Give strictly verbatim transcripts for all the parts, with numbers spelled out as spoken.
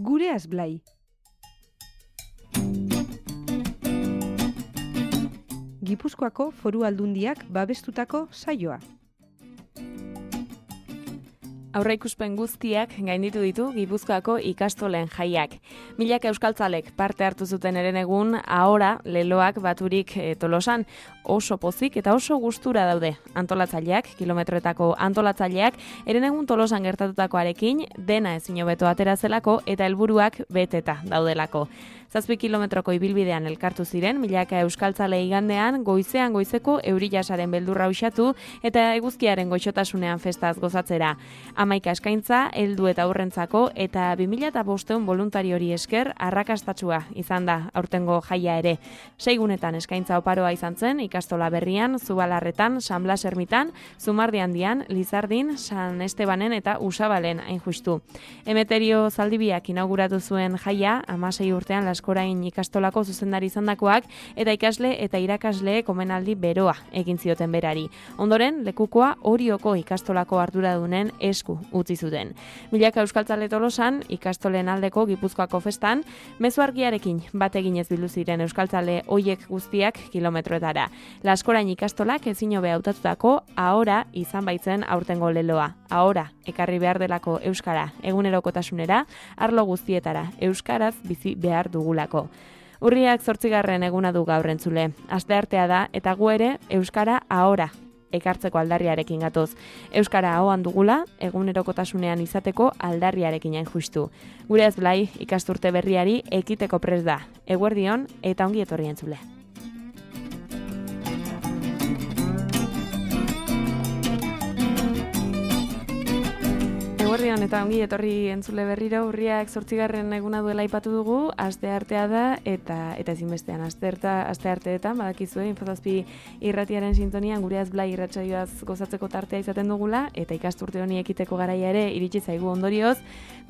Gure Azblai. Gipuzkoako Foru Aldundiak babestutako saioa. Aurreikuspen guztiak gainditu ditu Gipuzkoako ikastolen jaiak. Milaka euskaltzalek parte hartu zuten herenegun, ahora leloak baturik e, Tolosan oso pozik eta oso gustura daude. Antolatzaileak, kilometroetako antolatzaileak, herenegun Tolosan gertatutakoarekin dena ezin hobeto atera zelako eta helburuak beteta daudelako. Zazpi kilometroko ibilbidean elkartu ziren, milaka euskaltzale igandean, goizean goizeko eurilasaren beldurra uxatu eta eguzkiaren goixotasunean festaz gozatzera. Hamaika eskaintza, heldu eta aurrentzako eta bi mila bostehun voluntariori esker arrakastatsua izan da aurtengo jaia ere. Seigunetan eskaintza oparoa izan zen, ikastola berrian, Zubalarretan, San Blas Ermitan, Zumardi Handian, Lizardin, San Estebanen eta Usabalen hain justu. Emeterio Zaldibiak inauguratu zuen jaia, hamasei urtean Laskorain ikastolako zuzendari izandakoak eta ikasle eta irakasle komenaldi beroa egin zioten berari. Ondoren, lekukoa Orioko ikastolako arduradunen esku utzi zuten. Milaka euskaltzale Tolosan, ikastolen aldeko Gipuzkoako festan, mezu argiarekin bat eginez bildu ziren euskaltzale hoiek guztiak kilometroetara. Laskorain ikastolak ezin hobe hautatutako ahora izan baitzen aurtengo leloa. Ahora, ekarri behar delako euskara egunerokotasunera, arlo guztietara euskaraz bizi behar dugulako. Urriak zortzigarren eguna du gaur entzule. Asteartea da eta gu ere euskara ahora ekartzeko aldarriarekin gatoz. Euskara ahoan dugula, egunerokotasunean izateko aldarriarekin hain justu. Gure Azblai ikasturte berriari ekiteko prest da. Eguerdion eta ongi etorri entzule. Eguerdion eta ongi etorri entzule berriro, urriak zortzigarren eguna duela aipatu dugu, asteartea da eta eta ezinbestean astearta astearteetan badakizue Infozazpi irratiaren sintonian gure Azblai irratsaioaz gozatzeko tartea izaten dugula eta ikasturte honi ekiteko garaia ere iritsi zaigu ondorioz,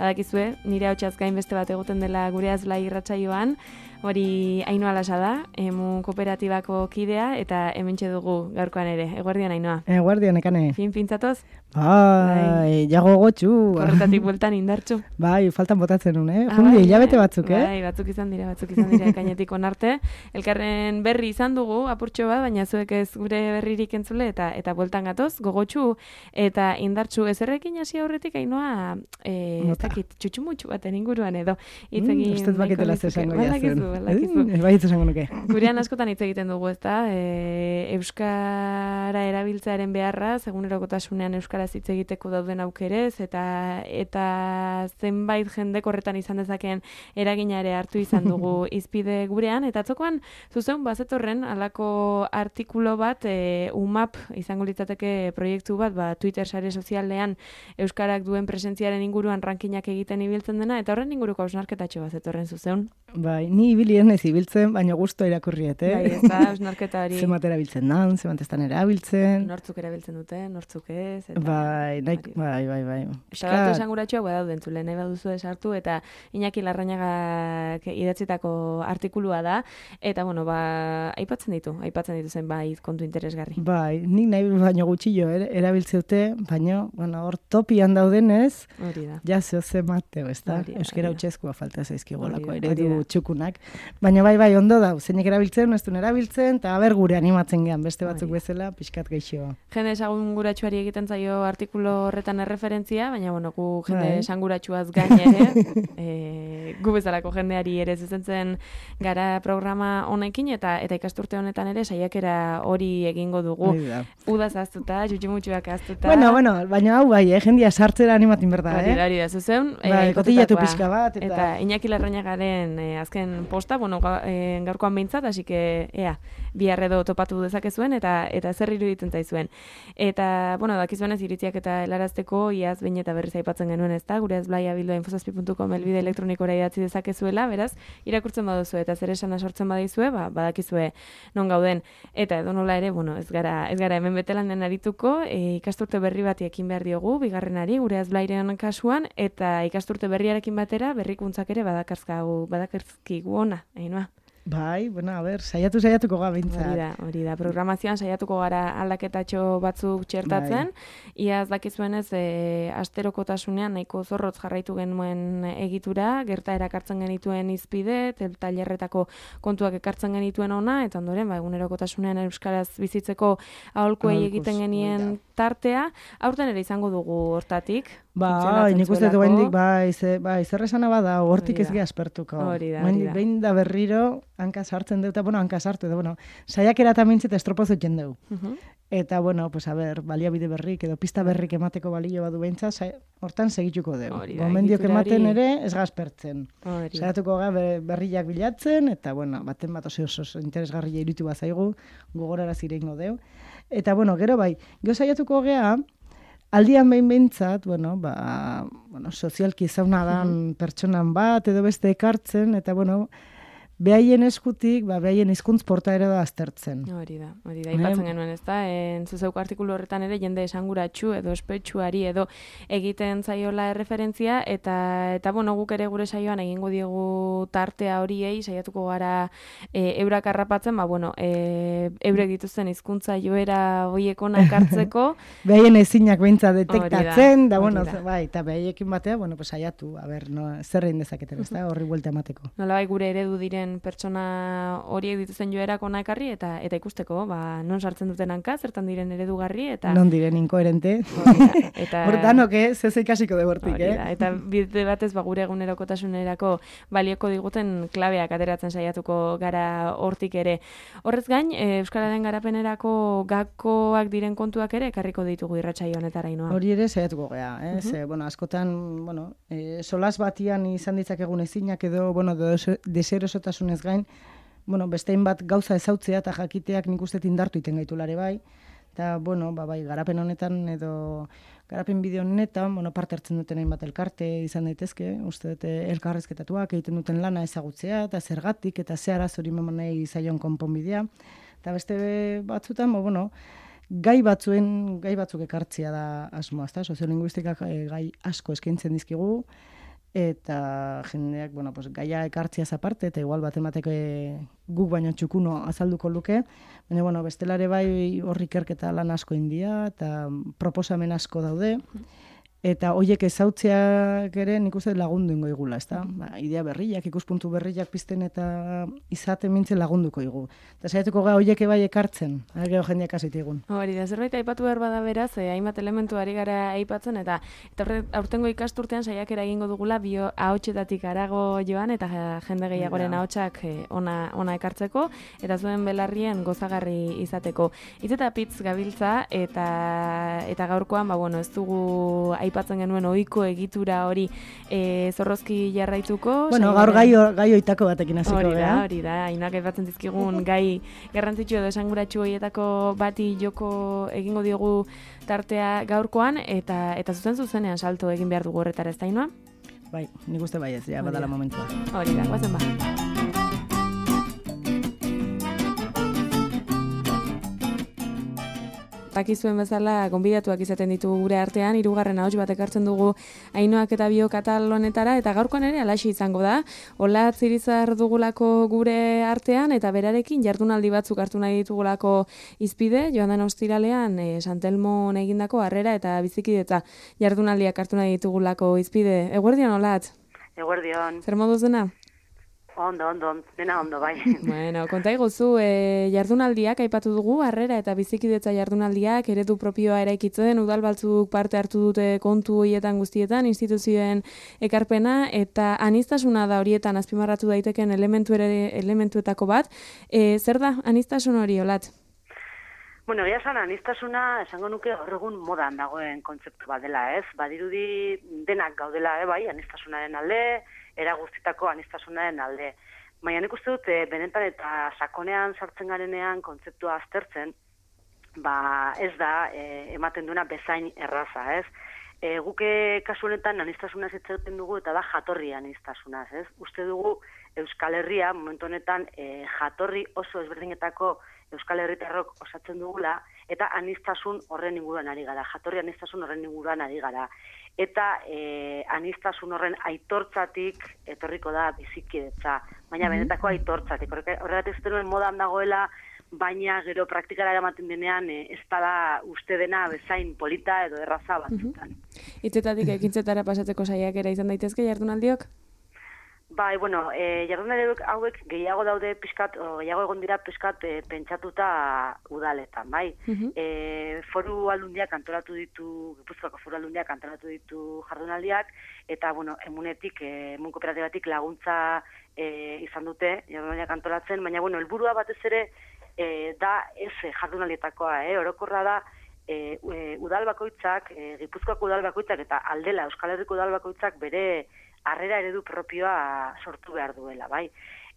badakizue nire ahotsaz gain beste bat egoten dela gure Azblai irratsaioan. Hori Ainhoa Lasa da, emu kooperatibako kidea eta hementxe dugu gaurkoan ere. Eguerdion Ainhoa. Eguerdion ekane. Fin pintzatoz? Bai, jago gotxu. Korretatik bueltan indartxu. Bai, faltan botatzen un, eh? Jundi, hilabete batzuk, eh? Bai, batzuk izan dira, batzuk izan dira ekainetik onarte. Elkarren berri izan dugu, apurtxo bat, baina zuek ez gure berririk entzule eta eta bueltan gatoz, gogotxu eta indartxu. Ezerrekin hasi aurretik Ainhoa, eh, ez dakit, txutxumutxu baten inguruan edo. Mm, Ustez baketela zesango jazen. Balakizu. Eh, bai, esango nuke. Gurean askotan hitz egiten dugu, ezta? E, euskara erabiltzearen beharra, egunerokotasunean euskaraz hitz egiteko dauden aukerez eta eta zenbait jendek horretan izan dezakeen eragina ere hartu izan dugu izpide gurean eta atzokoan zuzeun bazetorren halako artikulu bat e, U M A P izango litzateke proiektu bat, ba Twitter sare sozialean euskarak duen presentziaren inguruan rankinak egiten ibiltzen dena eta horren inguruko hausnarketatxo bazetorren zuzeun. Bai, ni ibilien ez ibiltzen, baina gusto irakurriet, eh? Bai, ez da, hausnarketa hori. Zemat erabiltzen dan, zemat estan erabiltzen. Nortzuk erabiltzen dute, nortzuk ez. Eta, bai, naik, bai, bai, bai. Eta datu esanguratxoak badauden entzule, nahi baduzu esartu, eta Iñaki Larrañagak idatzitako artikulua da, eta, bueno, ba, aipatzen ditu, aipatzen ditu zenbait kontu interesgarri. Bai, nik nahi baino gutxillo er, erabiltzeute, baina, bueno, hor topian daudenez, hori da. Ja zeo zemateo, ez da? Hori da, Euskera hori da. utxezkoa falta zaizkigolako Hori da, eredu hori da. txukunak. Baina bai, bai, ondo da, zeinek erabiltzen, ez duen erabiltzen, eta aber gure animatzen gean, beste batzuk Hori. bezala, pixkat geixo. Jende esanguratsuari egiten zaio artikulu horretan erreferentzia, baina bueno, gu jende Bai. esanguratsuaz gain ere, e, gu bezalako jendeari ere zuzentzen gara programa honekin eta eta ikasturte honetan ere saiakera hori egingo dugu. Hori da. Udaz aztuta, jutxumutxuak aztuta. Bueno, bueno, baina hau bai, eh, jendia sartzera animatin berda, Hori eh? da, hori da, zuzeun. Bai, eh, kotillatu aipatutakoa. pixka bat, eta... Eta Iñaki Larrañagaren eh, azken posta, bueno, ga, eh, gaurkoan behintzat, así que, ea, bihar edo topatu dezakezuen, eta eta zer iruditzen zaizuen. Eta, bueno, dakizuenez iritziak eta helarazteko, iaz behin eta berriz aipatzen genuen ez da, gure azblaia bildoa infozazpi puntu com elbide elektronikora idatzi dezakezuela, beraz, irakurtzen baduzu eta zer esana sortzen badizue, ba, badakizue non gauden. Eta edo nola ere, bueno, ez gara, ez gara hemen betelanen arituko, e, ikasturte berri bati ekin behar diogu, bigarrenari, gure azblairen kasuan, eta ikasturte berriarekin batera, berrikuntzak ere badakarzkagu, badakarzkigu ona, Ainhoa. Bai, bueno, a ber, saiatu saiatuko ga bintzat. Hori da, hori da. Programazioan saiatuko gara aldaketatxo batzuk txertatzen. Bai. Ia ez dakizuenez, e, asterokotasunean nahiko zorrotz jarraitu genuen egitura, gerta erakartzen genituen izpide, tailerretako kontuak ekartzen genituen ona, eta ondoren, ba, egunerokotasunean euskaraz bizitzeko aholkuei egiten genien tartea. Aurten ere izango dugu hortatik. Bai, nik uste dut behindik, bai, ze, bai, zer esana bada, hortik ez geha aspertuko. Hori da, hori da. Behin da berriro, hanka sartzen dut, eta, bueno, hanka sartu, eta, bueno, saiakera eta mintzet estropoz dut jendeu. Uh-huh. Eta, bueno, pues, a ber, baliabide berrik, edo pista berrik emateko balio badu behintza, hortan segituko dugu. Gomendiok ematen ere, ez gazpertzen. Saiatuko ga berriak bilatzen, eta, bueno, baten bat oso oso interesgarria irutu bazaigu, gogorara zirengo deu. Eta, bueno, gero bai, gero saiatuko gea, aldian behin behintzat, bueno, ba, bueno, sozialki zauna dan pertsonan bat, edo beste ekartzen, eta, bueno, behaien eskutik, ba, behaien hizkuntz portaera da aztertzen. Hori da, hori da, ipatzen genuen, ez da, entzuzeuko artikulu horretan ere, jende esanguratsu edo espetsuari edo egiten zaiola erreferentzia, eta, eta bueno, guk ere gure saioan egingo diegu tartea horiei, saiatuko gara e, eurak harrapatzen, ba, bueno, e, eurek dituzten hizkuntza joera hoiek onak hartzeko. Behaien ezinak behintza detektatzen, da, bueno, bai, eta behaiekin batea, bueno, pues saiatu, a ber, no, zer egin dezaketen, ez da, horri buelta emateko. Nola bai, gure eredu diren pertsona horiek dituzten joerak ona ekarri eta eta ikusteko, ba, non sartzen duten hanka, zertan diren eredugarri eta non diren inkoherente. Eta hortanok, eh, ze ze ikasiko de hortik, eh. Eta bide batez ba gure egunerokotasunerako balioko diguten klabeak ateratzen saiatuko gara hortik ere. Horrez gain, e, euskararen garapenerako gakoak diren kontuak ere ekarriko ditugu irratsaio honetara Ainhoa. Hori ere saiatuko gea, eh, uh-huh. Ze, bueno, askotan, bueno, e, solas batian izan ditzakegun ezinak edo, bueno, deserosotasun ez gain, bueno, bestein bat gauza ezautzea eta jakiteak nik uste indartu iten gaitulare bai, eta, bueno, ba, bai, garapen honetan edo garapen bideo honetan, bueno, parte hartzen duten hainbat elkarte izan daitezke, uste dute elkarrezketatuak egiten duten lana ezagutzea, eta zergatik, eta ze arazori memonei zaion konponbidea, eta beste batzutan, bo, bueno, gai batzuen, gai batzuk ekartzea da asmoa, ezta? Soziolinguistikak gai asko eskaintzen dizkigu, eta jendeak, bueno, pues, gaia ekartziaz aparte, eta igual bat emateko guk baino txukuno azalduko luke, baina, bueno, bestelare bai horri ikerketa lan asko india, eta proposamen asko daude, eta hoiek ezautzeak ere nik uste lagundu ingo igula, ezta? Ba, idea berriak, ikuspuntu berriak pizten eta izaten mintzen lagunduko igu. Eta saiatuko ga hoiek bai ekartzen, gero jendeak hasitigun. Hori da, zerbait aipatu behar bada beraz, eh, hainbat elementu ari gara aipatzen, eta eta aurtengo ikasturtean saiakera egingo dugula bio ahotsetatik harago joan, eta jende gehiagoren ahotsak eh, ona, ona ekartzeko, eta zuen belarrien gozagarri izateko. Hitz eta pitz gabiltza, eta, eta gaurkoan, ba, bueno, ez dugu aipatzen genuen ohiko egitura hori e, zorrozki jarraituko. Bueno, gaur gai, gai oitako batekin hasiko hori da, hori da, Ainhoak aipatzen dizkigun gai garrantzitsu edo esanguratsu horietako bati joko egingo diogu tartea gaurkoan, eta eta zuzen zuzenean salto egin behar dugu horretara, ez da, Ainhoa? Bai, nik uste bai ez, ja, badala momentua. Hori da, guazen ba. Dakizuen bezala, gonbidatuak izaten ditugu gure artean, hirugarren ahots bat ekartzen dugu Ainhoak eta bio katal honetara, eta gaurkoan ere alaxi izango da. Olatz Irizar dugulako gure artean, eta berarekin jardunaldi batzuk hartu nahi ditugulako izpide, joan den ostiralean, e, Santelmon egindako harrera eta bizikidetza jardunaldiak hartu nahi ditugulako izpide. Eguerdion, Olatz? Eguerdion. Zer moduz dena? Ondo, ondo, dena ondo, bai. Bueno, konta iguzu, e, jardunaldiak aipatu dugu, harrera eta bizikidetza jardunaldiak, eredu propioa eraikitzen, udal batzuk parte hartu dute kontu horietan guztietan, instituzioen ekarpena, eta aniztasuna da horietan azpimarratu daiteken elementu ere, elementuetako bat. E, zer da anistasun hori, Olatz? Bueno, egia esan, anistasuna esango nuke gaur egun modan dagoen kontzeptu bat dela, ez? Badirudi denak gaudela, eh, bai, anistasunaren alde, era guztitako anistasunaren alde. Baina nik uste dut, e, benetan eta sakonean sartzen garenean kontzeptua aztertzen, ba ez da e, ematen duena bezain erraza, ez? E, guke kasu honetan anistasunaz hitz egiten dugu eta da jatorri anistasunaz, ez? Uste dugu Euskal Herria momentu honetan e, jatorri oso ezberdinetako Euskal Herritarrok osatzen dugula, eta anistasun horren inguruan ari gara, jatorri anistasun horren inguruan ari gara. Eta e, anistasun horren aitortzatik etorriko da bizikidetza, baina benetako aitortzatik. Horregatik ez denuen modan dagoela, baina gero praktikara eramaten denean e, ez da uste dena bezain polita edo erraza batzutan. Hitzetatik ekintzetara pasatzeko saiakera izan daitezke jardunaldiok? Bai, bueno, e, jardunaldi hauek gehiago daude pixkat, o, gehiago egon dira pixkat e, pentsatuta udaletan, bai. Uh-huh. E, foru aldundiak antolatu ditu, Gipuzkoako foru aldundiak antolatu ditu jardunaldiak, eta, bueno, emunetik, e, emun kooperatibatik laguntza e, izan dute jardunaldiak antolatzen, baina, bueno, helburua batez ere e, da ez jardunaldietakoa, eh? Orokorra da, e, e, udal bakoitzak, e, Gipuzkoako udal bakoitzak eta aldela Euskal Herriko udal bakoitzak bere harrera eredu propioa sortu behar duela, bai.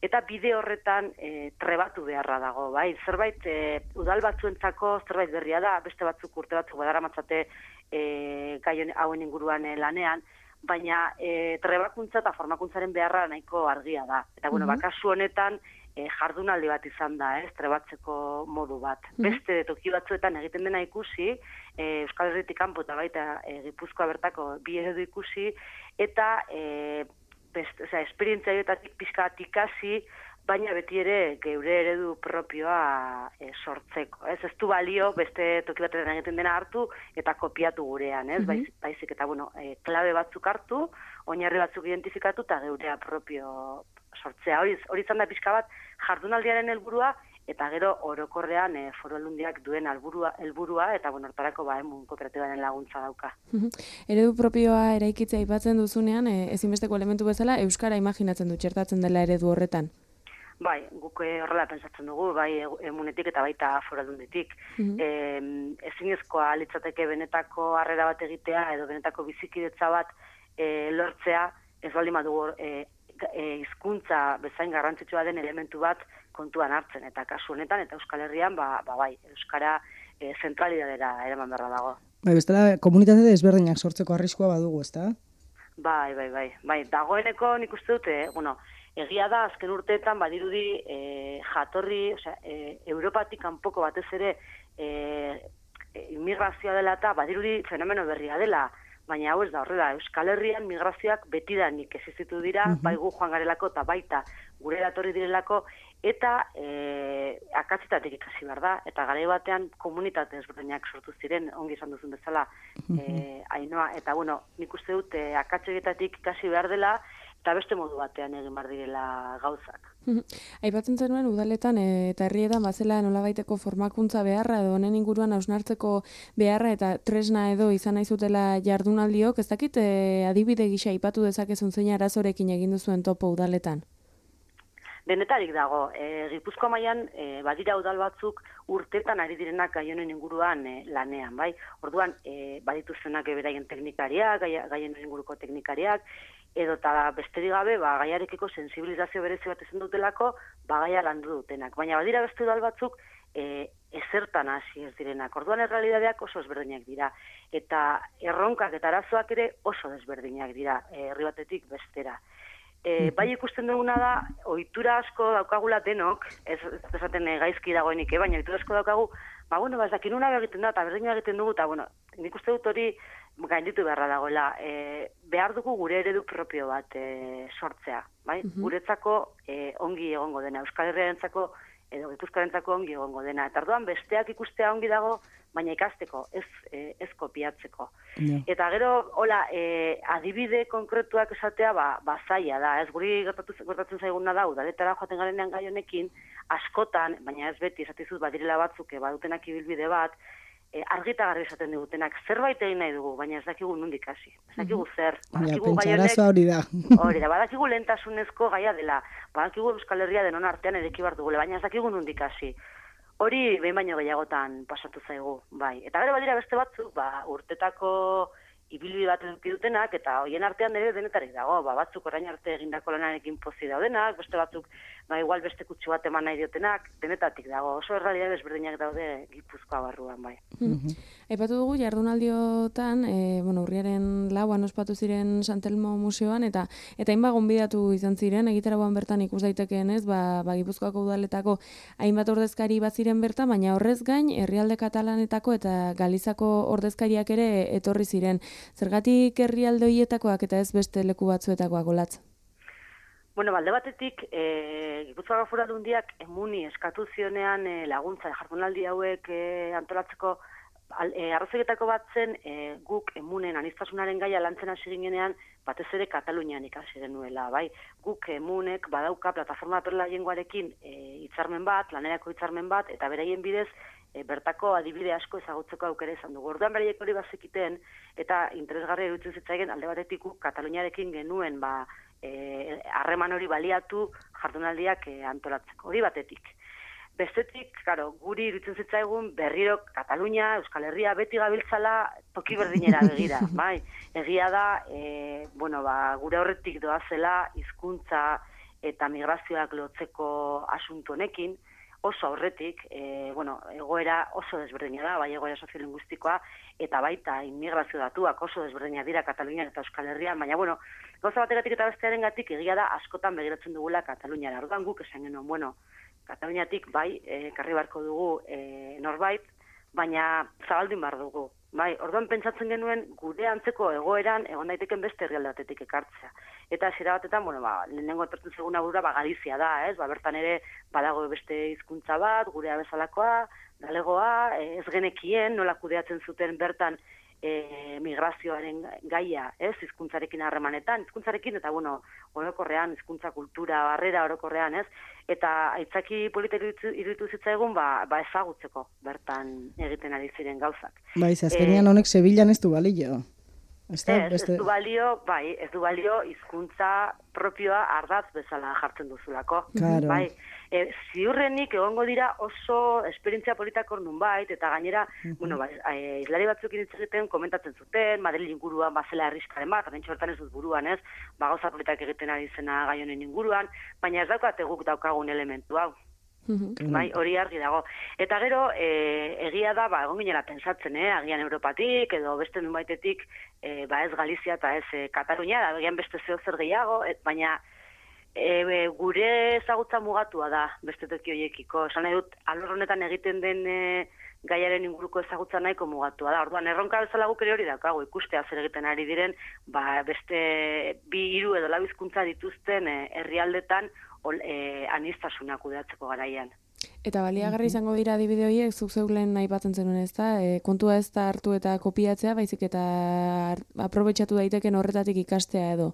Eta bide horretan e, trebatu beharra dago, bai. Zerbait e, udal batzuentzako zerbait berria da, beste batzuk urte batzuk badaramatzate e, gai hauen inguruan e, lanean, baina e, trebakuntza eta formakuntzaren beharra nahiko argia da. Eta bueno, mm-hmm. bakasu honetan e, jardunaldi bat izan da, ez, trebatzeko modu bat. Mm-hmm. Beste toki batzuetan egiten dena ikusi, e, Euskal Herritik kanpo eta baita e, Gipuzkoa bertako bi eredu ikusi, eta e, best, o sea, esperientzia horietatik pizkat ikasi, baina beti ere geure eredu propioa e, sortzeko. Ez ez du balio beste toki batetan egiten dena hartu eta kopiatu gurean, ez? Mm-hmm. Baiz, baizik eta bueno, e, klabe batzuk hartu, oinarri batzuk identifikatu eta geurea propio sortzea. Hori, hori izan da pixka bat jardunaldiaren helburua, eta gero orokorrean e, foru aldundiak duen helburua helburua eta bueno, hortarako ba emun kooperatibaren laguntza dauka. Eredu propioa eraikitzea aipatzen duzunean, e, ezinbesteko elementu bezala euskara imaginatzen du txertatzen dela eredu horretan. Bai, guk horrela pentsatzen dugu, bai emunetik eta baita foru aldunditik. Mm-hmm. E, ezinezkoa litzateke benetako harrera bat egitea edo benetako bizikidetza bat e, lortzea, ez baldin badugu e, hizkuntza bezain garrantzitsua den elementu bat kontuan hartzen, eta kasu honetan eta Euskal Herrian ba, ba bai, euskara e, zentralidadera eraman beharra dago. Bai, bestela komunitate desberdinak sortzeko arriskua badugu, ezta? Bai, bai, bai, bai, dagoeneko nik uste dute, bueno, egia da azken urteetan badirudi e, jatorri, osea, e, Europatik kanpoko batez ere e, e, immigrazioa dela eta badirudi fenomeno berria dela. Baina hau ez da horrela, Euskal Herrian migrazioak betidanik existitu dira, uh-huh. bai gu joan garelako eta baita gure datorri direlako, eta e, akatzetatik ikasi behar da, eta garai batean komunitate ezberdinak sortu ziren, ongi esan duzun bezala, uh-huh. e, Ainoa, eta bueno, nik uste dut e, akatzetatik ikasi behar dela, eta beste modu batean egin behar direla gauzak. Aipatzen zenuen udaletan e, eta herrietan bazela nolabaiteko formakuntza beharra edo honen inguruan hausnartzeko beharra eta tresna edo izan nahi zutela jardunaldiok, ez dakit e, adibide gisa aipatu dezakezun zein arazorekin egin duzuen topo udaletan? Denetarik dago, e, Gipuzkoa mailan e, badira udal batzuk urtetan ari direnak gai honen inguruan e, lanean, bai? Orduan, e, badituztenak beraien teknikariak, gai, gai honen inguruko teknikariak, edo eta besterik gabe, ba, gaiarekiko sensibilizazio berezi bat izan dutelako, ba, gaia landu dutenak. Baina badira beste udal batzuk e, ezertan hasi ez direnak. Orduan errealidadeak oso ezberdinak dira. Eta erronkak eta arazoak ere oso desberdinak dira, e, herri batetik bestera. E, bai ikusten duguna da, ohitura asko daukagula denok, ez esaten e, gaizki dagoenik, eh, baina ohitura asko daukagu, ba, bueno, ba, ez dakin una egiten da, eta berdina egiten dugu, eta, bueno, nik uste dut hori gainditu beharra dagoela. E, behar dugu gure eredu propio bat e, sortzea, bai? Uh-huh. Guretzako e, ongi egongo dena, Euskal Herriarentzako edo Gipuzkoarentzako ongi egongo dena. Eta orduan besteak ikustea ongi dago, baina ikasteko, ez, e, ez kopiatzeko. Yeah. Eta gero, hola, e, adibide konkretuak esatea, ba, ba zaila da, ez guri gertatzen zaiguna da, udaletara joaten garenean gai honekin, askotan, baina ez beti, esatizuz, badirela batzuk, badutenak ibilbide bat, e, argita garbi esaten digutenak, zerbait egin nahi dugu, baina ez dakigu nondik hasi. Ez dakigu zer. Badakigu ja, pentsarazoa hori da. Hori da, badakigu lehentasunezko gaia dela, badakigu Euskal Herria denon artean edeki bar dugule, baina ez dakigu nondik hasi. Hori behin baino gehiagotan pasatu zaigu, bai. Eta gero badira beste batzuk, ba, urtetako ibilbide bat eduki dutenak, eta hoien artean ere denetarik dago, ba, batzuk orain arte egindako lanarekin pozi daudenak, beste batzuk, ba, igual beste kutsu bat eman nahi diotenak, denetatik dago, oso errealitate desberdinak daude Gipuzkoa barruan, bai. Mm-hmm. Aipatu dugu jardunaldiotan, e, bueno, urriaren lauan ospatu ziren Santelmo Museoan, eta eta hainbat gonbidatu izan ziren, egitaragoan bertan ikus daitekeen ez, ba, ba Gipuzkoako udaletako hainbat ordezkari bat ziren bertan, baina horrez gain, herrialde katalanetako eta Galizako ordezkariak ere etorri ziren. Zergatik herrialde horietakoak eta ez beste leku batzuetakoak Olatz? Bueno, balde batetik, e, Gipuzkoako Foru Aldundiak emuni eskatu zionean e, laguntza jardunaldi hauek e, antolatzeko e, arrazoietako bat zen e, guk emunen aniztasunaren gaia lantzen hasi ginenean batez ere Katalunian ikasi genuela, bai. Guk emunek badauka plataforma perla jengoarekin e, hitzarmen bat, lanerako hitzarmen bat, eta beraien bidez e, bertako adibide asko ezagutzeko aukera izan dugu. Orduan beraiek hori bazekiten, eta interesgarria iruditzen zitzaigen alde batetik guk Kataluniarekin genuen, ba, harreman hori baliatu jardunaldiak e, antolatzeko, hori batetik. Bestetik, claro, guri iruditzen zitzaigun berriro Katalunia, Euskal Herria beti gabiltzala toki berdinera begira, bai. Egia da, e, bueno, ba, gure horretik doazela hizkuntza eta migrazioak lotzeko asunto honekin, oso aurretik, e, bueno, egoera oso desberdina da, bai egoera soziolinguistikoa, eta baita immigrazio datuak oso desberdina dira Katalunian eta Euskal Herrian, baina, bueno, gauza bategatik eta bestearen gatik egia da askotan begiratzen dugula Kataluniara. Orduan guk esan genuen, bueno, Kataluniatik bai, e, karri barko dugu e, norbait, baina zabaldin bar dugu. Bai, orduan pentsatzen genuen gure antzeko egoeran egon daiteken beste herrialde batetik ekartzea. Eta hasiera batetan, bueno, ba, lehenengo etortzen zeguna burura, ba, Galizia da, ez? Ba, bertan ere badago beste hizkuntza bat, gurea bezalakoa, galegoa, ez genekien nola kudeatzen zuten bertan e, migrazioaren gaia, ez? Hizkuntzarekin harremanetan, hizkuntzarekin eta bueno, orokorrean hizkuntza kultura barrera orokorrean, ez? Eta aitzaki politik iruditu zitzaigun ba, ba ezagutzeko bertan egiten ari ziren gauzak. Bai, azkenean honek Sevillan ez du balio. Ez, ez du balio, bai, ez du balio hizkuntza propioa ardatz bezala jartzen duzulako. Claro. Bai, e, ziurrenik egongo dira oso esperientzia politak ornun bait, eta gainera, uh-huh. bueno, ba, e, islari batzuk hitz egiten komentatzen zuten, Madrid inguruan bazela herriskaren bat, horrentxe hortan ez dut buruan, ez, ba, gauza politak egiten ari zena gai honen inguruan, baina ez daukate guk daukagun elementu hau. Uhum. Bai, hori argi dago. Eta gero, e, egia da, ba, egon ginela pensatzen, eh, agian Europatik, edo beste nunbaitetik, e, ba ez Galizia eta ez e, Katalunia, da, agian beste zeo zer gehiago, et, baina e, gure ezagutza mugatua da, beste toki horiekiko. Esan nahi dut, alor honetan egiten den e, gaiaren inguruko ezagutza nahiko mugatua da. Orduan, erronka bezala guk ere hori daukagu, ikustea zer egiten ari diren, ba, beste bi hiru edo lau hizkuntza dituzten e, herrialdetan, Ol, e, aniztasuna kudeatzeko garaian. Eta baliagarri izango dira adibide horiek, zuk zeuk lehen aipatzen zenuen, ez da? E, kontua ez da hartu eta kopiatzea, baizik eta aprobetxatu daiteken horretatik ikastea edo?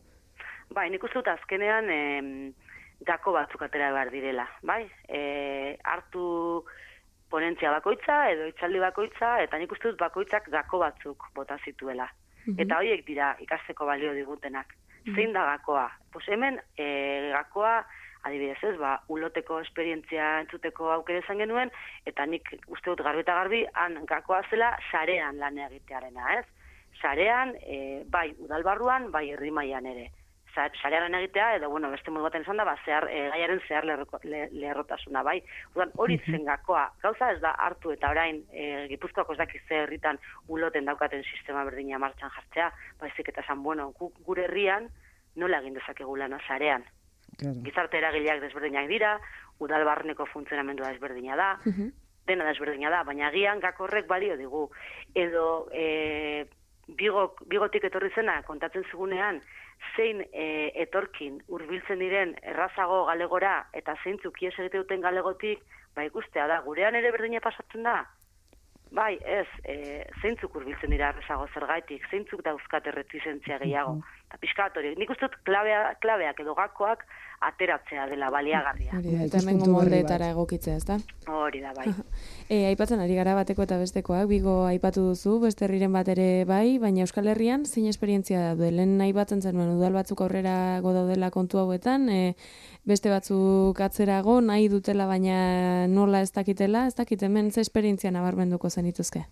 Bai, nik uste dut azkenean e, gako batzuk atera behar direla, bai? E, hartu ponentzia bakoitza edo itzaldi bakoitza, eta nik uste dut bakoitzak gako batzuk bota zituela. Mm-hmm. Eta horiek dira ikasteko balio digutenak. Mm-hmm. Zein da gakoa? Pues hemen e, gakoa adibidez ez, ba, uloteko esperientzia entzuteko aukera izan genuen, eta nik uste dut garbi eta garbi, han gakoa zela sarean lan egitearena, ez? Sarean, e, bai udalbarruan, bai herri mailan ere. Sarean lan egitea, edo, bueno, beste modu baten izan da, ba, zehar, e, gaiaren zehar lerrotasuna, bai? Udan, hori zen gakoa, gauza ez da hartu eta orain, e, Gipuzkoako ez dakiz ze herritan uloten daukaten sistema berdina martxan jartzea, baizik eta esan, bueno, gure herrian, nola egin dezakegu lana sarean. Claro. Gizarte eragileak desberdinak dira, udalbarneko funtzionamendua desberdina da, uh-huh. dena desberdina da, baina agian gakorrek balio digu. Edo e, bigo, bigotik etorri zena kontatzen zugunean, zein e, etorkin hurbiltzen diren errazago galegora eta zeintzuk ies egite duten galegotik, ba ikustea da, gurean ere berdina pasatzen da? Bai, ez, e, zeintzuk hurbiltzen dira errazago zergaitik, zeintzuk dauzkat erretizentzia gehiago. Uh-huh. Eta pixkat hori, nik uste dut klabea, klabeak edo gakoak ateratzea dela baliagarria. Hori da, eta hemengo moldeetara egokitzea, ez da? Hori da, bai. e, aipatzen ari gara bateko eta bestekoak, Bigo aipatu duzu, beste herriren bat ere bai, baina Euskal Herrian zein esperientzia da du? Lehen aipatzen zenuen udal batzuk aurrera daudela kontu hauetan, e, beste batzuk atzerago nahi dutela, baina nola ez dakitela, ez dakit hemen ze esperientzia nabarmenduko zenituzke?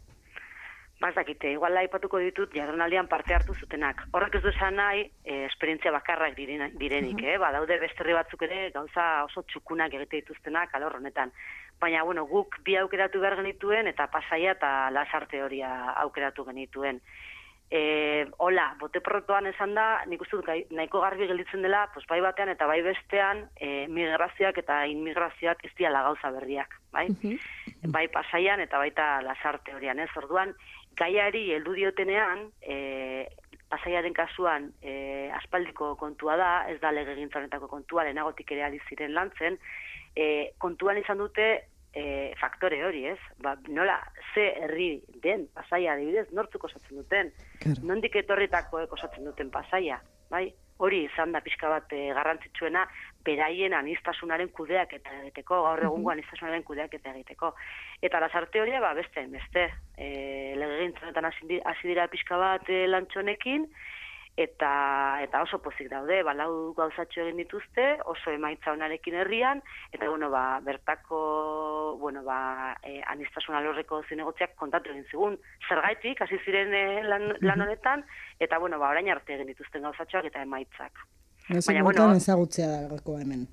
Ba, ez dakite, igual aipatuko ditut jardunaldian parte hartu zutenak. Horrek ez du esan nahi, e, esperientzia bakarrak diren, direnik, eh? Ba, daude beste herri batzuk ere gauza oso txukunak egite dituztenak alor honetan. Baina, bueno, guk bi aukeratu behar genituen eta Pasaia eta Lasarte horia aukeratu genituen. E, hola, bote protoan esan da, nik uste dut nahiko garbi gelditzen dela, pues, bai batean eta bai bestean, e, migrazioak eta inmigrazioak ez diala gauza berriak, bai? Uh-huh. Bai Pasaian eta baita Lasarte horian, ez? Orduan, gaiari heldu diotenean, e, Pasaiaren kasuan e, aspaldiko kontua da, ez da legegintza honetako kontua, lehenagotik ere ari ziren lantzen, e, kontuan izan dute e, faktore hori, ez? Ba, nola, ze herri den Pasaia adibidez, nortzuk osatzen duten, claro. Nondik etorritakoek osatzen duten Pasaia, bai? Hori izan da pixka bat e, garrantzitsuena beraien anistasunaren kudeak eta egiteko, gaur egungo anistasunaren kudeak eta egiteko. Eta Lasarte horia, ba, beste, beste, e, legegintzanetan hasi dira pixka bat e, lantxonekin, eta eta oso pozik daude, ba, lau gauzatxo egin dituzte, oso emaitza honarekin herrian, eta bueno, ba, bertako, bueno, ba, e, anistasuna lorreko zinegotziak kontatu egin zigun, zergaitik, hasi ziren e, lan, lan honetan, eta bueno, ba, orain arte egin dituzten gauzatxoak eta emaitzak. Baina, bueno, ezagutzea da gakoa hemen.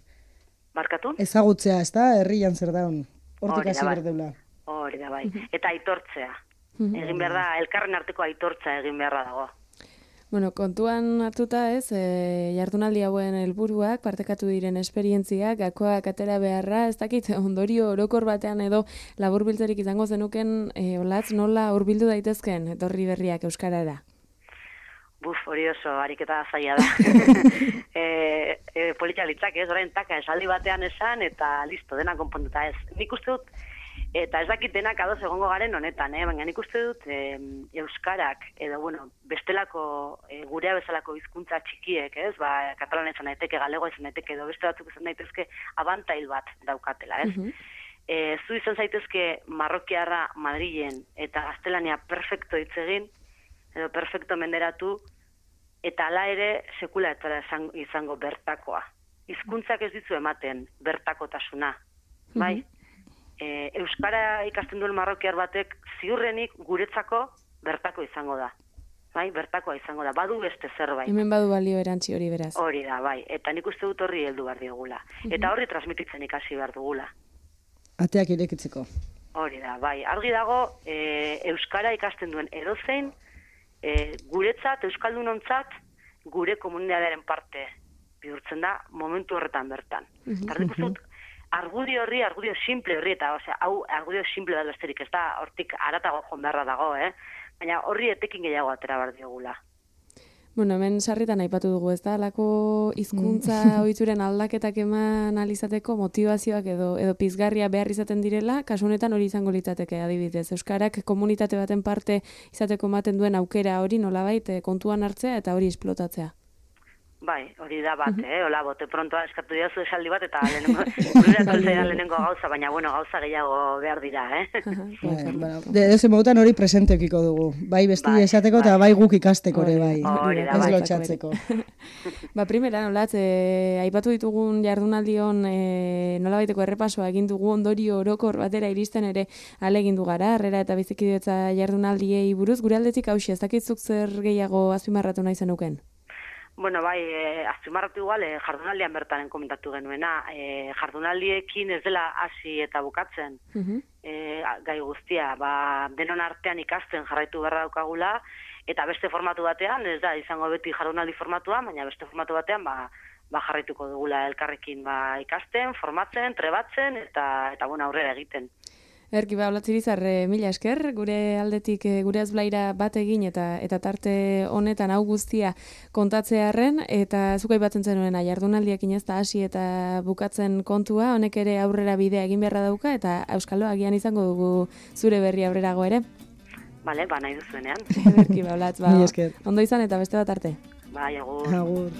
Barkatu? Ezagutzea, ez da, herrian zer daun, hortik hasi berdeula. Hori da, bai. Eta aitortzea. Egin behar da, elkarren arteko aitortza egin beharra dago. Bueno, kontuan hartuta ez, e, jardunaldi hauen helburuak, partekatu diren esperientziak, gakoak atera beharra, ez dakit, ondorio orokor batean edo laburbiltzerik izango zenuken, e, olatz, nola hurbildu daitezken, etorri berriak euskarara? Buf, hori oso, ariketa zaila da. e, e, Politia litzak, ez, orain taka, esaldi batean esan, eta listo, dena konponduta ez. Nik uste dut, eta ez dakit denak adoz egongo garen honetan, eh? Baina nik uste dut e, euskarak, edo, bueno, bestelako, e, gurea bezalako hizkuntza txikiek, ez, ba, katalan izan daiteke, galego izan daiteke, edo beste batzuk izan daitezke, abantail bat daukatela, ez? Uh-huh. e, zu izan zaitezke Marrokiarra Madrilen, eta gaztelania perfecto hitz egin, edo perfecto menderatu, eta hala ere sekula etara izango bertakoa. Hizkuntzak ez dizu ematen bertakotasuna, bai? E, Euskara ikasten duen marrokiar batek ziurrenik guretzako bertako izango da. Bai, bertakoa izango da. Badu beste zerbait. Hemen badu balio erantzi hori beraz. Hori da, bai. Eta nik uste dut horri heldu behar diogula. Eta horri transmititzen ikasi behar dugula. Ateak irekitzeko. Hori da, bai. Argi dago, e, Euskara ikasten duen edozein, E, guretzat, euskaldunontzat, gure komunitatearen parte bihurtzen da momentu horretan bertan. Eta nik uste dut, argudio horri, argudio simple horri, eta osea, hau argudio simple da besterik, ez da, hortik aratago joan beharra dago, eh? Baina horri etekin gehiago atera behar diogula. Bueno, hemen sarritan aipatu dugu, ez da, alako hizkuntza ohituren aldaketak eman alizateko motivazioak edo edo pizgarria behar izaten direla, kasu honetan hori izango litzateke adibidez. Euskarak komunitate baten parte izateko ematen duen aukera hori nolabait kontuan hartzea eta hori esplotatzea. Bai, hori da bat, eh? Hola, bote prontoa eskatu diazu esaldi bat, eta lehenengo, lehenengo gauza, baina, bueno, gauza gehiago behar dira, eh? Bueno, de ese modutan hori presentekiko dugu. Bai besti bai, esateko eta bai. bai guk ikasteko ere bai. Hori da, ez bai. lotxatzeko. Ba, primera, nolatz, eh, aipatu ditugun jardunaldion eh, nolabaiteko errepasoa egin dugu ondorio orokor batera iristen ere alegin du gara, harrera eta bizikidetza jardunaldiei buruz, gure aldetik hausia, ez dakitzuk zer gehiago azpimarratu nahi zenuken? Bueno, bai, e, azpimarratu igual, e, jardunaldian bertaren komentatu genuena. E, jardunaldiekin ez dela hasi eta bukatzen uh-huh. e, gai guztia. Ba, denon artean ikasten jarraitu beharra daukagula, eta beste formatu batean, ez da, izango beti jardunaldi formatua, baina beste formatu batean, ba, ba jarraituko dugula elkarrekin ba, ikasten, formatzen, trebatzen, eta, eta bueno, aurrera egiten. Erki, ba, Olatzirizar, mila esker, gure aldetik, gure azblaira bat egin eta eta tarte honetan hau guztia kontatzearren, eta zukai batzen zenuena jardunaldiak ez da hasi eta bukatzen kontua, honek ere aurrera bidea egin beharra dauka, eta Euskalo agian izango dugu zure berri aurrerago ere. Bale, ba, nahi duzuenean. Erki, ba, Olatz, ba, ondo izan eta beste bat arte. Bai, agur. Agur.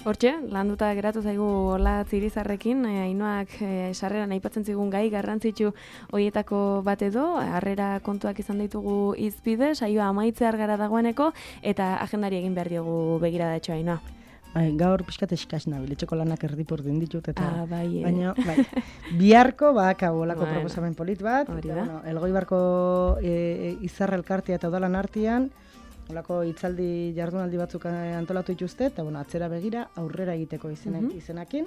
Hortxe, landuta geratu zaigu Olatz Irizarrekin, Ainoak e, sarreran aipatzen zigun gai garrantzitsu hoietako bat edo, harrera kontuak izan ditugu izpide, saioa amaitzear gara dagoeneko, eta agendari egin behar diogu begiradatxo Ainoa. Ai, gaur pixkat eskaz nabil, etxeko lanak erdipurdin ditut, eta Ah, bai, eh. baina, bai, biharko bakau olako Bueno, proposamen polit bat, hori eta, da. bueno, Elgoibarko e, izarra elkartea eta udalan artean, olako hitzaldi jardunaldi batzuk eh, antolatu dituzte, eta bueno, atzera begira, aurrera egiteko izenak, Mhm. izenakin.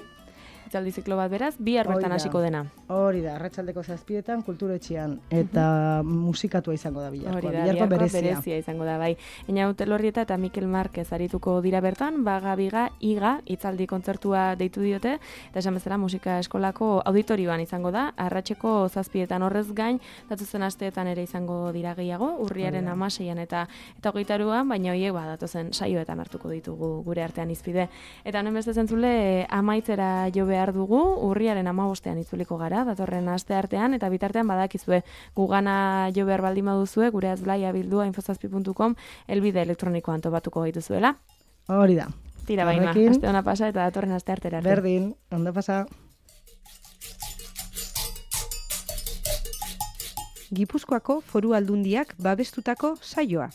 Itzaldi ziklo bat beraz, bihar bertan Hori da. hasiko dena. Hori da, arratsaldeko zazpietan, kulturetxean, eta musikatua izango da biharkoa, Hori da, biharko biharkoa berezia. berezia izango da, bai. Eina Utelorrieta eta Mikel Marquez arituko dira bertan, baga biga, iga, hitzaldi kontzertua deitu diote, eta esan bezala musika eskolako auditorioan izango da, arratseko zazpietan horrez gain, datuzen asteetan ere izango dira gehiago, urriaren Hori da. amaseian eta eta hogeitaruan, baina horiek ba, datozen saioetan hartuko ditugu gure artean izpide. Eta honen beste zentzule, amaitzera jo behar dugu, urriaren amabostean itzuliko gara, datorren aste artean, eta bitartean badakizue, gugana jo behar baldin baduzue, gure azblaia bildua infozazpi puntu com, elbide elektronikoan topatuko gaituzuela. Hori da. Tira baima, Horrekin, aste ona pasa eta datorren aste artera arte. Berdin, ondo pasa. Gipuzkoako Foru Aldundiak babestutako saioa.